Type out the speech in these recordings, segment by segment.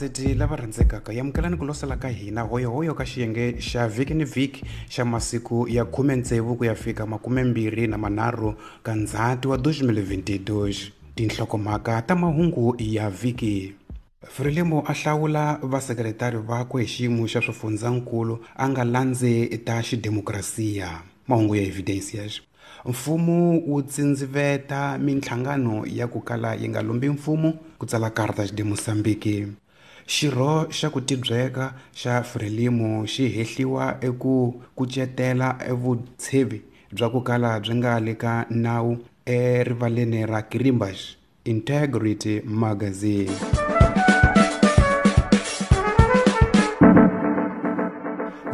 Vayingiseti lava rhandzekaka, yamukelani ku losela ka hina hoyohoyo ka xiyenge xa vhiki ni vhiki xa masiku ya 16 ku ya fika 23 ka Ndzhati wa 2022. Tinhlokomhaka ta mahungu ya vhiki. Frelimo a hlawula vasekretari vakwe hi xiyimo xa swifundzankulu a nga landzi ta xidemokirasiya. Mahungu ya Evidencias. Mfumo wu tsindziveta minhlangano ya ku kala yi nga lombi mfumo, ku tsala Cartas de Moçambique. Xirho xa ku tibyeka xa Frelimo xi hehliwa eku kucetela evutshevi bya ku kala byi nga le ka nawu erivaleni ra Quirimbas. Integrity Magazine.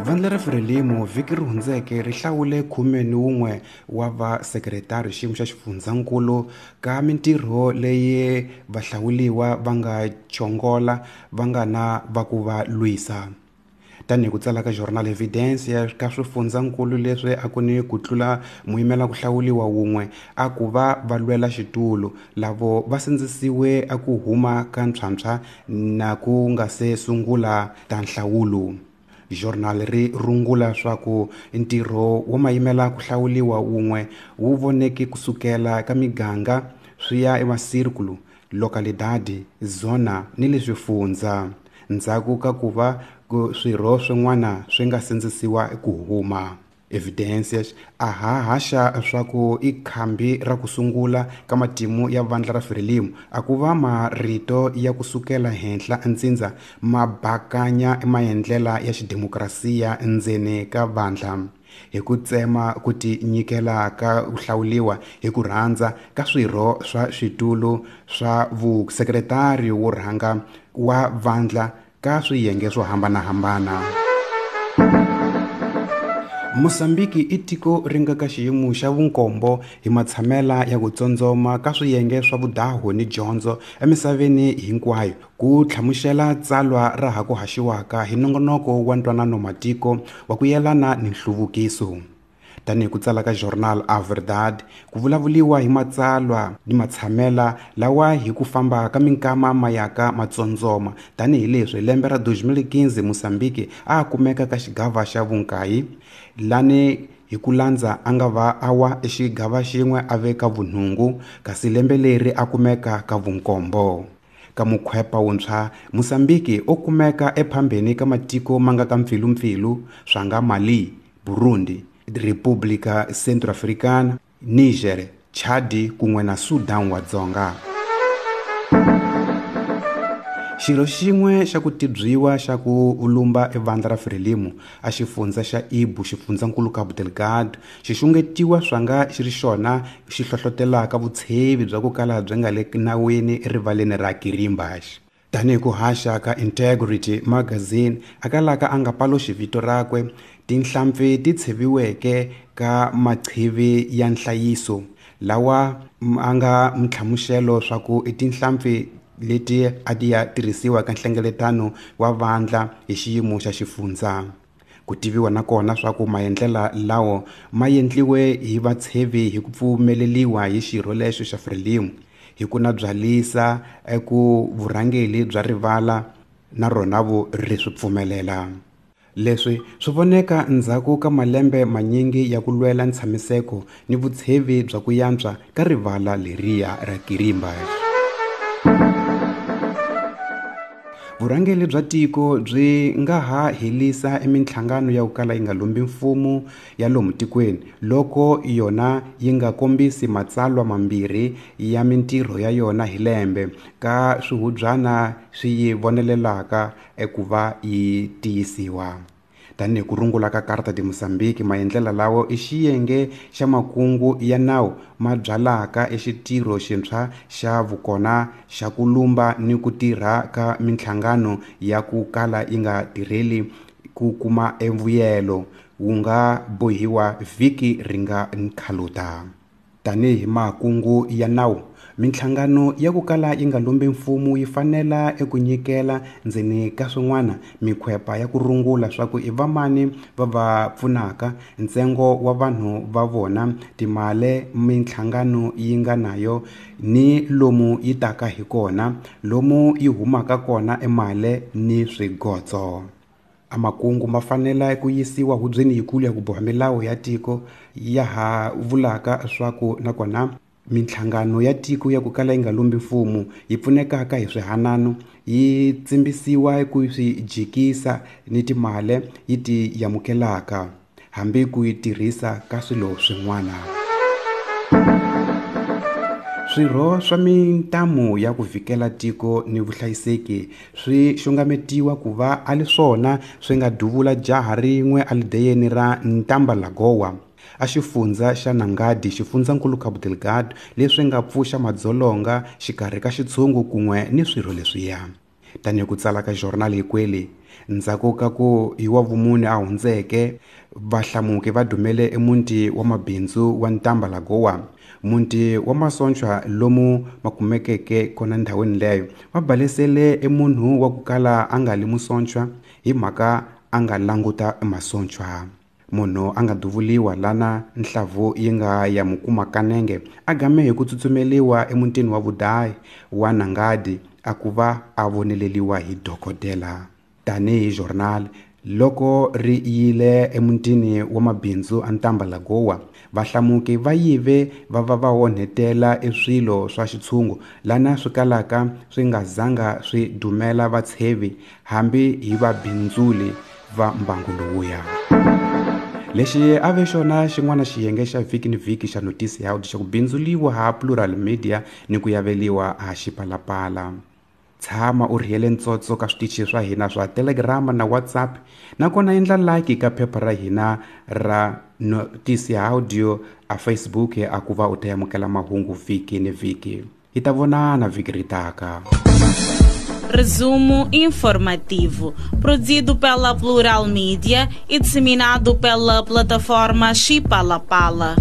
Vandla ra Frelimo vhiki ri hundzeke ri hlawule 11 wa vasekretari xiyimo xa xifundzankulu ka mintirho leyi vahlawuliwa va nga chongola va nga na va ku va lwisa. Tanihi ku tsala ka Jornal Evidencia ka swifundzankulu leswi a ku ni ku tlula muyimela ku hlawuliwa wun'we a ku va va lwela xitulu, lavo va sindzisiwe a ku huma ka ntshwantshwa na ku nga se sungula ta nhlawulo. Journal ri rungula swa ku ntirho wo mayimela ku hlawuliwa wun'we wu voneke kusukela ka miganga swi ya emasirkulu, lokalidadi, zona ni le swifundza, ndzhaku ka ku va swirho swin'wana swi nga sindzisiwa ku huma. Evidencias a ha haxa swa ku i khambi ra ku sungula ka matimu ya vandla ra Frelimo a ku va marito ya ku sukela henhla ntsindza ma bakanya maendlela ya xidemokirasiya ndzeni ka vandla, hi ku tsema ku tinyikela ka ku hlawuliwa hi ku rhandza ka swirho swa switulu swa vusekretari wo rhanga wa vandla ka swiyenge swo hambanahambana. Mozambiki i tiko ri nga ka xiyimo xa vunkombo hi matshamela ya ku tsondzoma ka swiyenge swa vudahu ni dyondzo emisaveni hinkwayo, ku hlamusela tsalwa ra ha ku haxiwaka hi nongonoko wa ntwanano matiko wa ku yelana ni nhluvukiso. Tanihi ku tsala ka Jornal A Verdade, ku vulavuliwa hi matsalwa ni matshamela lawa hi ku famba ka minkama ma yaka matsondzoma, tanihileswi lembe ra 2015 Mozambiki a kumeka ka xigava xa vunkayi, lani hi ku landza a nga va a wa exigava xin'we a ve ka vunhungu, kasi lembe leri a kumeka ka vunkombo. Ka mukhwepa wuntshwa, Mozambiki u kumeka ephambeni ka matiko ma nga ka mpfilumpfilu swa nga Mali, Burundi, República Centro-Africana, Niger, Chad kun'we na Sudan wa Dzonga. Xirho xin'we xa ku tibyiwa xa ku lumba evandla ra Frelimo a xifundza xa Ibu, xifundzankulu Cabo Delgado, xi xungetiwa swa nga xi ri xona xi hlohlotelaka vutshevi bya ku kala byi nga le nawini erivaleni ra Quirimbas. Tanihi ku haxa ka Integrity Magazine a kalaka a nga paluxi vito rakwe, tinhlampfi ti tsheviweke ka maqhivi ya nhlayiso lawa a nga nhlamuselo swa ku i tinhlampfi leti a ti ya tirhisiwa ka nhlengeletano wa vandla hi xiyimo xa xifundza. Ku tiviwa na kona swa ku maendlela lawo ma endliwe hi vatshevi hi ku pfumeleliwa hi xirho lexo xa Frelimo, hi ku na byalisa eku vurhangeli bya rivala na rona vo ri swi pfumelela. Leswi swi voneka ndzhaku ka malembe manyingi ya ku lwela ntshamiseko ni vutshevi bya ku yantswa ka rivala leriya ra Quirimbas. Vurhangeli bya tiko byi nga ha helisa eminhlangano ya ku kala yi nga lombi mfumo ya lomu tikweni loko yona yi nga kombisi matsalwa mambirhi ya mintirho ya yona hi lembe ka swihubyana swi yi vonelelaka eku va yi tiyisiwa. Tanihi ku rungula ka Carta de Moçambique, maendlela lawo i xiyenge xa makungu ya nawu ma byalaka exitirho xintshwa xa vukona xa ku lumba ni ku tirha ka minhlangano ya ku kala yi nga tirheli ku kuma emvuyelo wu nga bohiwa vhiki ri nga nkhaluta. Tanihi makungu ya nawu Minhlangano ya ku kala yi nga lombi mfumo yi fanela eku nyikela ndzeni ka swin'wana mikhwepa ya ku rungula swa ku i vamani va va pfunaka, ntsengo wa vanhu va vona, timale minhlangano yi nga nayo ni lomu yi taka hi kona, lomu yi humaka kona emale ni swigotso. A makungu ma fanela ku yisiwa hubyeni yikulu ya ku boha milawu ya tiko ya ha vulaka swa ku nakona minhlangano ya tiko ya ku kala yi nga lombi mfumo yi pfunekaka hi swihanano yi tsimbisiwa ku swi jikisa ni timale yi ti yamukelaka hambi ku yi tirhisa ka swilo swin'wana. Swirho swa mintamu ya ku vikela tiko ni vuhlayiseki swi xungametiwa ku va a li swona swi nga duvula jaha rin'we alideyeni ra Ntambalagowa a xifundza xa Nangadi xifundzankulu Cabo Delgado leswi nga pfuxa madzolonga xikarhi ka xitshungu kun'we ni swirho leswiya. Tanihi ku tsala ka Jornal Ikweli, ndzhaku ka ku hi wa vumune a hundzeke vahlamuki va dumele emuti wa mabindzu wa Ntambalagowa, muti wa masochwa lomu ma kumekeke kona ndhawini leyo, va balesele emunhu wa ku kala a nga li musochwa hi mhaka a nga languta masochwa. Munhu a nga duvuliwa lana nhlavu yi nga ya mukuma kanenge a game hi ku tsutsumeliwa emutini wa vudayi wa Nangadi a ku va a voneleliwa hi dokodela. Tanihi Jornal loko ri yile emutini wa mabindzu a Ntambalagowa, vahlamuki va yive va va va onhetela eswilo swa xitshungu lana swi kalaka swi nga zanga swi dumela vatshevi hambi hi vabindzuli va mbangu lowuya. Lexi a ve xona xin'wana xiyenge xa vhiki ni vhiki xa Notisi ya Audio xa ku bindzuliwa ha Plural Media ni ku yaveliwa ha Xipalapala. Tshama u rhiyele ntsotso ka switichi swa hina swa Telegram na WhatsApp, nakona endla like ka phepha ra hina ra Notisi ya Audio a Facebook a ku va u ta amukela mahungu vhiki ni vhiki. Hi ta vonana vhiki ri taka. Resumo informativo, produzido pela Plural Mídia e disseminado pela plataforma Xipalapala.